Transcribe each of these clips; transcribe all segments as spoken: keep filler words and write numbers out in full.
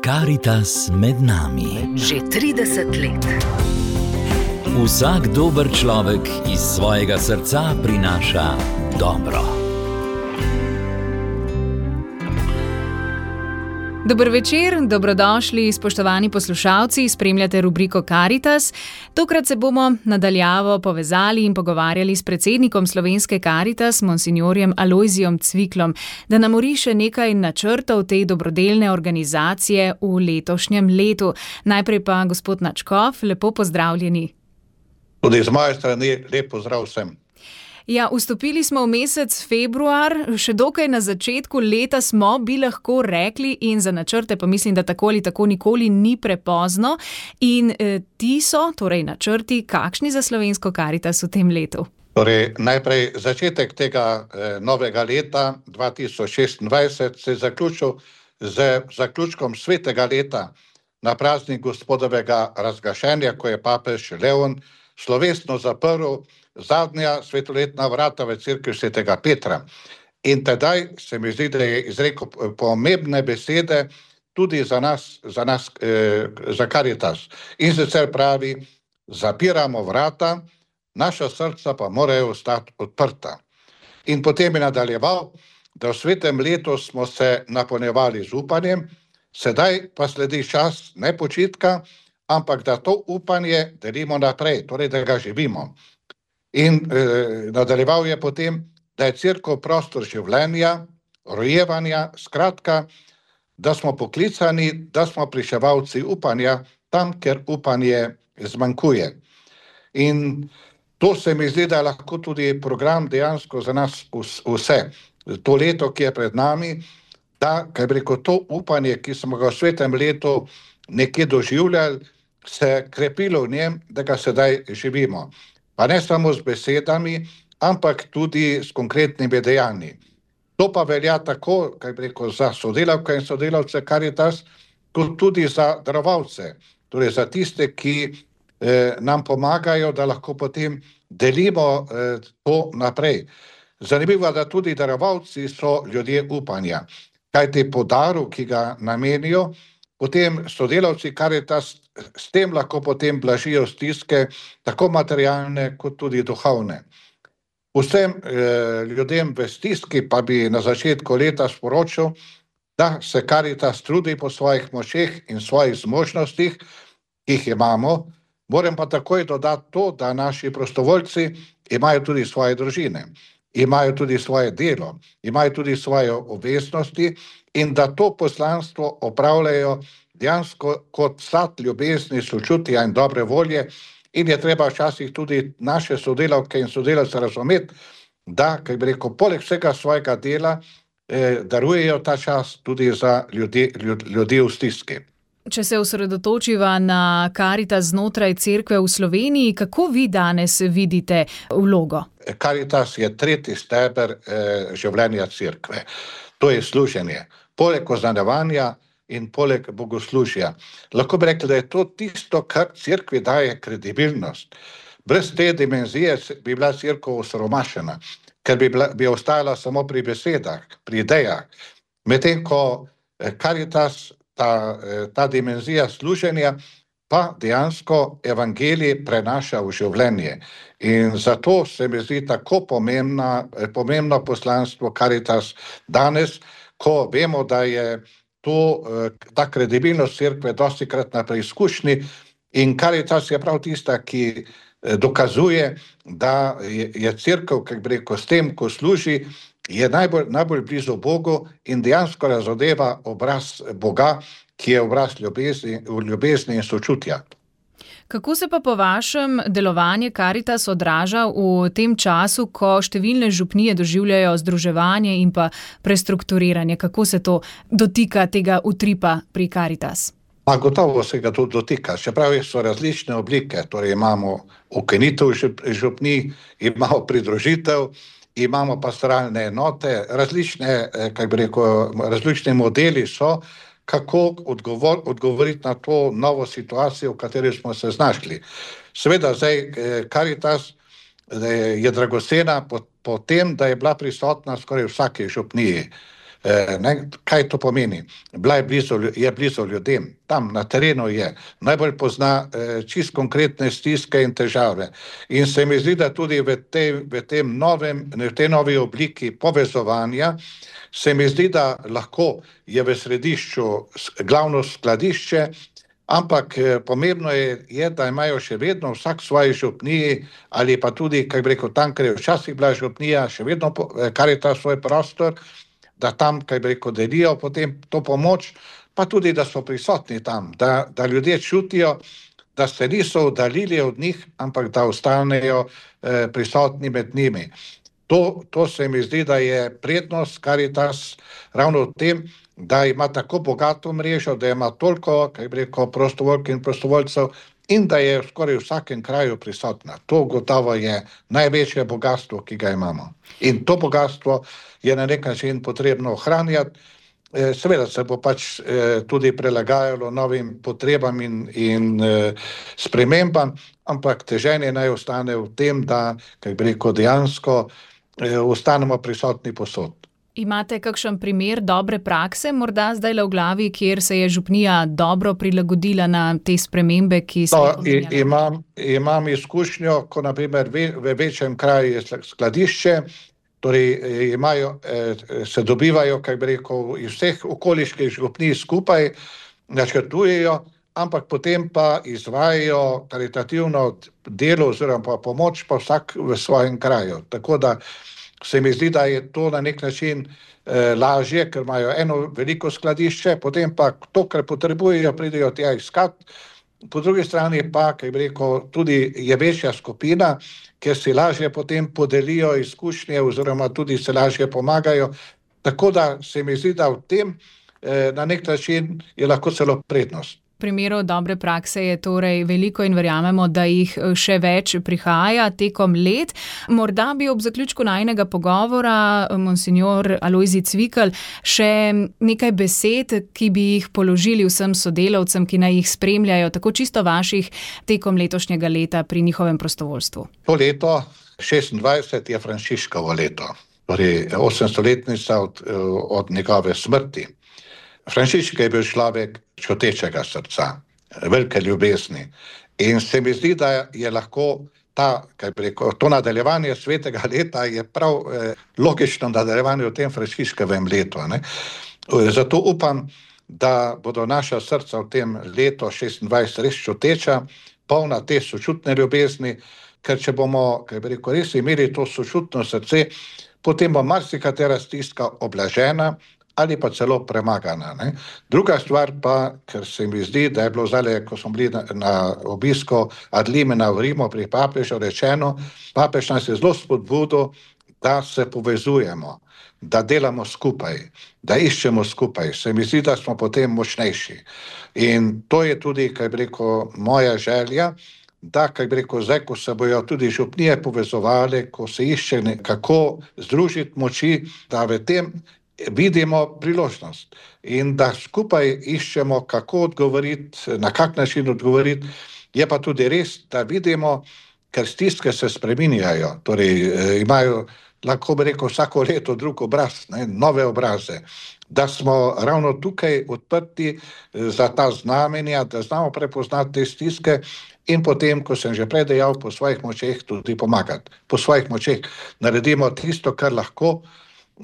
Karitas med nami. Že trideset let. Vsak dober človek iz svojega srca prinaša dobro. Dober večer, dobrodošli, spoštovani poslušalci, spremljate rubriko Karitas. Tokrat se bomo nadaljavo povezali in pogovarjali s predsednikom Slovenske Karitas, monsinjorjem Alojzijom Cviklom, da nam oriše nekaj načrtov te dobrodelne organizacije v letošnjem letu. Najprej pa gospod Načkov, lepo pozdravljeni. Tudi z moje strani lep pozdrav vsem. Ja, vstopili smo v mesec februar, še dokaj na začetku leta smo, bi lahko rekli, in za načrte pa mislim, da tako ali tako nikoli ni prepozno. In eh, ti so, torej načrti, kakšni za Slovensko Karitas v tem letu? Torej, najprej začetek tega eh, novega leta dva tisoč šestindvajset se je zaključil z zaključkom svetega leta na praznik Gospodovega razglašenja, ko je papež Leon slovesno zaprl zadnja svetoletna vrata v cerkvi svetega Petra. In tedaj se mi zdi, da je izrekel pomembne besede tudi za nas, za nas, eh, za Karitas. In sicer pravi, zapiramo vrata, naša srca pa morajo ostati odprta. In potem je nadaljeval, da v svetem letu smo se napolnjevali z upanjem, sedaj pa sledi čas ne počitka, ampak da to upanje delimo naprej, torej da ga živimo. In eh, nadaljeval je potem, da je cerkev prostor življenja, rojevanja, skratka, da smo poklicani, da smo pričevalci upanja tam, kjer upanje zmanjkuje. In to se mi zdi, da je lahko tudi program dejansko za nas vse. To leto, ki je pred nami, da, kaj bi rekel, to upanje, ki smo ga v svetem letu nekje doživljali, se krepilo v njem, da ga sedaj živimo. Pa ne samo z besedami, ampak tudi s konkretnimi dejanji. To pa velja tako, kaj bi rekel, za sodelavke in sodelavce Karitas, kot tudi za darovalce, torej za tiste, ki eh, nam pomagajo, da lahko potem delimo eh, to naprej. Zanimivo je, da tudi darovalci so ljudje upanja, kajti po daru, ki ga namenijo, potem sodelavci Karitas s tem lahko potem blažijo stiske, tako materialne kot tudi duhovne. Vsem eh, ljudem v stiski pa bi na začetku leta sporočil, da se Karitas trudi po svojih močeh in svojih zmožnostih, ki jih imamo. Moram pa takoj dodati to, da naši prostovoljci imajo tudi svoje družine, imajo tudi svoje delo, imajo tudi svoje obveznosti in da to poslanstvo opravljajo dejansko kot sad ljubezni, sočutja in dobre volje, in je treba včasih tudi naše sodelavke in sodelavce razumeti, da, kaj bi rekel, poleg vsega svojega dela eh, darujejo ta čas tudi za ljudi, ljud, ljudi v stiski. Če se osredotočiva na Karitas znotraj cerkve v Sloveniji, kako vi danes vidite vlogo? Karitas je tretji steber eh, življenja cerkve. To je služenje. Poleg oznanjevanja in poleg bogoslužja. Lahko bi rekli, da je to tisto, kar cerkvi daje kredibilnost. Brez te dimenzije bi bila cerkev osiromašena, ker bi, bila, bi ostala samo pri besedah, pri idejah. Medtem ko Karitas, ta, ta dimenzija služenja, pa dejansko evangelij prenaša v življenje. In zato se mi zdi tako pomembna, pomembno poslanstvo Karitas danes, ko vemo, da je to, ta kredibilnost cerkve dostikrat na preizkušnji in Karitas je prav tista, ki dokazuje, da je cerkev, kako bi rekel, s tem, ko služi, je najbolj, najbolj blizu Bogu in dejansko razodeva obraz Boga, ki je obraz ljubezni, ljubezni in sočutja. Kako se pa po vašem delovanje Karitas odraža v tem času, ko številne župnije doživljajo združevanje in pa prestrukturiranje? Kako se to dotika tega utripa pri Karitas? Pa gotovo se ga to dotika, čeprav so različne oblike, torej imamo ukinitev župnij, imamo pridružitev, imamo pastoralne enote, različne, kaj bi rekel, različni modeli so, kako odgovor, odgovoriti na to novo situacijo, v kateri smo se znašli. Seveda zdaj Karitas je dragocena po, po tem, da je bila prisotna skoraj vsake župniji. Ne, kaj to pomeni? Bila je blizu, je blizu ljudem, tam na terenu je, najbolj pozna čist konkretne stiske in težave. In se mi zdi, da tudi v tej, v tem novem, v tej novi obliki povezovanja, se mi zdi, da lahko je v središču glavno skladišče, ampak pomembno je, je, da imajo še vedno vsak svoji župniji ali pa tudi, kaj bi rekel, tam, ker je včasih bila župnija, še vedno Karitas svoj prostor, da tam, kaj bi rekel, delijo potem to pomoč, pa tudi, da so prisotni tam, da, da ljudje čutijo, da se niso oddaljili od njih, ampak da ostanejo eh, prisotni med njimi. To, to se mi zdi, da je prednost Karitas ravno v tem, da ima tako bogato mrežo, da ima toliko, kaj bi rekel, prostovoljk in prostovoljcev in da je skoraj v vsakem kraju prisotna. To gotovo je največje bogatstvo, ki ga imamo. In to bogatstvo je na nek način potrebno ohranjati. Seveda se bo pač tudi prilagajalo novim potrebam in, in spremembam, ampak teženje naj ostane v tem, da, kaj bi rekel, dejansko ostanemo prisotni posod. Imate kakšen primer dobre prakse, morda zdaj le v glavi, kjer se je župnija dobro prilagodila na te spremembe, ki so jih omenjali? No, imam, imam izkušnjo, ko na primer v večjem kraju je skladišče, torej imajo, se dobivajo, kaj bi rekel, iz vseh okoliških župnij skupaj, načrtujejo, ampak potem pa izvajajo karitativno delo oziroma pomoč pa vsak v svojem kraju. Tako da se mi zdi, da je to na nek način eh, lažje, ker imajo eno veliko skladišče, potem pa to, kar potrebujejo, pridejo tja iskat. Po drugi strani pa, kaj bi rekel, tudi je večja skupina, ker si lažje potem podelijo izkušnje oziroma tudi se lažje pomagajo. Tako da se mi zdi, da v tem eh, na nek način je lahko celo prednost. Primerov dobre prakse je torej veliko in verjamemo, da jih še več prihaja tekom let. Morda bi ob zaključku najinega pogovora, monsinjor Alojzij Cvikl, še nekaj besed, ki bi jih položili vsem sodelavcem, ki naj jih spremljajo, tako čisto vaših tekom letošnjega leta pri njihovem prostovoljstvu. To leto, šestindvajset, je Frančiškovo leto, torej osemstoletnica od, od njegove smrti. Frančišek je bil človek čutečega srca, velike ljubezni in se mi zdi, da je lahko ta, kaj bi rekel, to nadaljevanje svetega leta je prav eh, logično nadaljevanje v tem Frančiškovem letu. Ne? Zato upam, da bodo naša srca v tem letu šestindvajset res čuteča, polna te sočutne ljubezni, ker če bomo, kaj bi rekel, res imeli to sočutno srce, potem bo marsikatera stiska oblažena ali pa celo premagana. Ne? Druga stvar pa, ker se mi zdi, da je bilo zdaj, ko smo bili na, na obisku ad limina v Rimu pri papežu rečeno, papež nas je zelo spodbudil, da se povezujemo, da delamo skupaj, da iščemo skupaj. Se mi zdi, da smo potem močnejši. In to je tudi, kaj bi rekel, moja želja, da, kaj bi rekel, zdaj, ko se bojo tudi župnije povezovali, ko se išče kako združiti moči, da v tem vidimo priložnost in da skupaj iščemo, kako odgovoriti, na kak način odgovoriti. Je pa tudi res, da vidimo, ker stiske se spreminjajo, torej imajo, lahko bi rekel, vsako leto drug obraz, ne, nove obraze, da smo ravno tukaj odprti za ta znamenja, da znamo prepoznati te stiske in potem, ko sem že prej dejal, po svojih močeh tudi pomagati. Po svojih močeh naredimo tisto, kar lahko,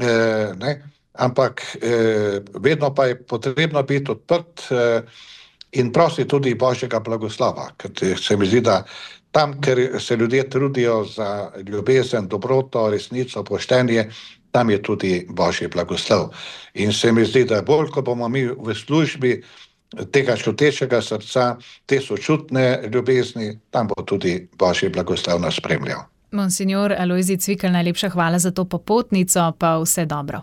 eh, ne, ampak eh, vedno pa je potrebno biti odprt eh, in prositi tudi Božjega blagoslova, ker se mi zdi, da tam, ker se ljudje trudijo za ljubezen, dobroto, resnico, poštenje, tam je tudi Božji blagoslov. In se mi zdi, da bolj, ko bomo mi v službi tega čutečega srca, te sočutne ljubezni, tam bo tudi Božji blagoslov nas spremljal. Monsinjor Alojzij Cvikl, najlepša hvala za to popotnico, pa vse dobro.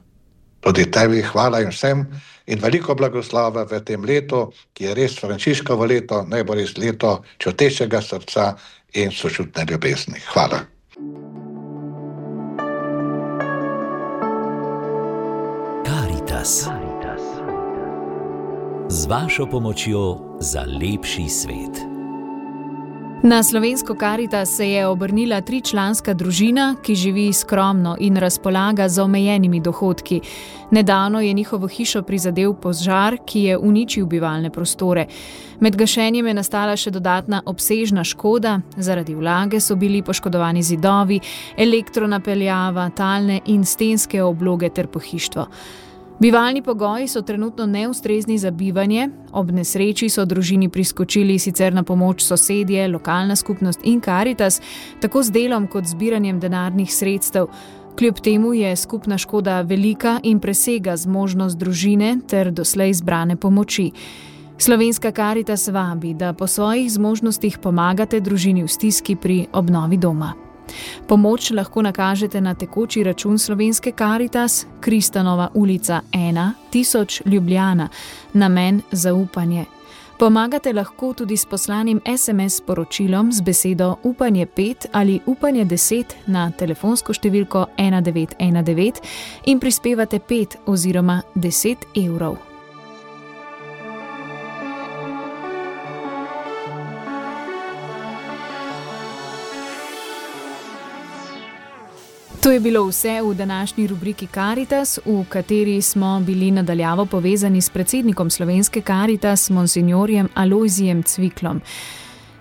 Tudi tebi hvala in vsem in veliko blagoslova v tem letu, ki je res Frančiškovo leto, naj bo res leto čutečega srca in sočutne ljubezni. Hvala. Karitas. Z vašo pomočjo za lepši svet. Na slovensko Karitas se je obrnila tričlanska družina, ki živi skromno in razpolaga z omejenimi dohodki. Nedavno je njihovo hišo prizadel požar, ki je uničil bivalne prostore. Med gašenjem je nastala še dodatna obsežna škoda, zaradi vlage so bili poškodovani zidovi, elektronapeljava, talne in stenske obloge ter pohištvo. Bivalni pogoji so trenutno neustrezni za bivanje, ob nesreči so družini priskočili sicer na pomoč sosedje, lokalna skupnost in Karitas, tako z delom kot zbiranjem denarnih sredstev. Kljub temu je skupna škoda velika in presega zmožnost družine ter doslej zbrane pomoči. Slovenska Karitas vabi, da po svojih zmožnostih pomagate družini v stiski pri obnovi doma. Pomoč lahko nakažete na tekoči račun Slovenske Karitas, Kristanova ulica ena, tisoč Ljubljana, namen zaupanje. Pomagate lahko tudi s poslanim es em es sporočilom z besedo upanje pet ali upanje deset na telefonsko številko ena devet ena devet in prispevate pet oziroma deset evrov. To je bilo vse v današnji rubriki Karitas, v kateri smo bili nadaljavo povezani s predsednikom Slovenske Karitas, monsinjorjem Alojzijem Cviklom.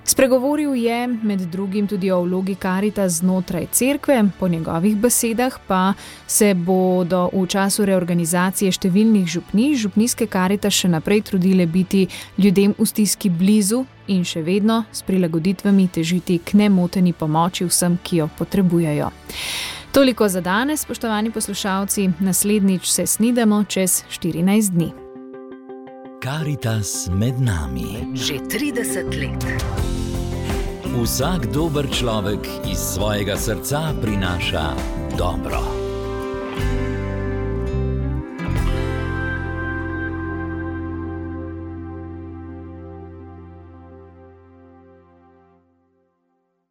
Spregovoril je med drugim tudi o vlogi Karitas znotraj cerkve, po njegovih besedah pa se bodo v času reorganizacije številnih župnij župnijske Karitas še naprej trudile biti ljudem v stiski blizu in še vedno s prilagoditvami težiti k nemoteni pomoči vsem, ki jo potrebujejo. Toliko za danes, spoštovani poslušalci, naslednjič se snidamo čez štirinajst dni. Karitas med nami. Že trideset let. Vsak dober človek iz svojega srca prinaša dobro.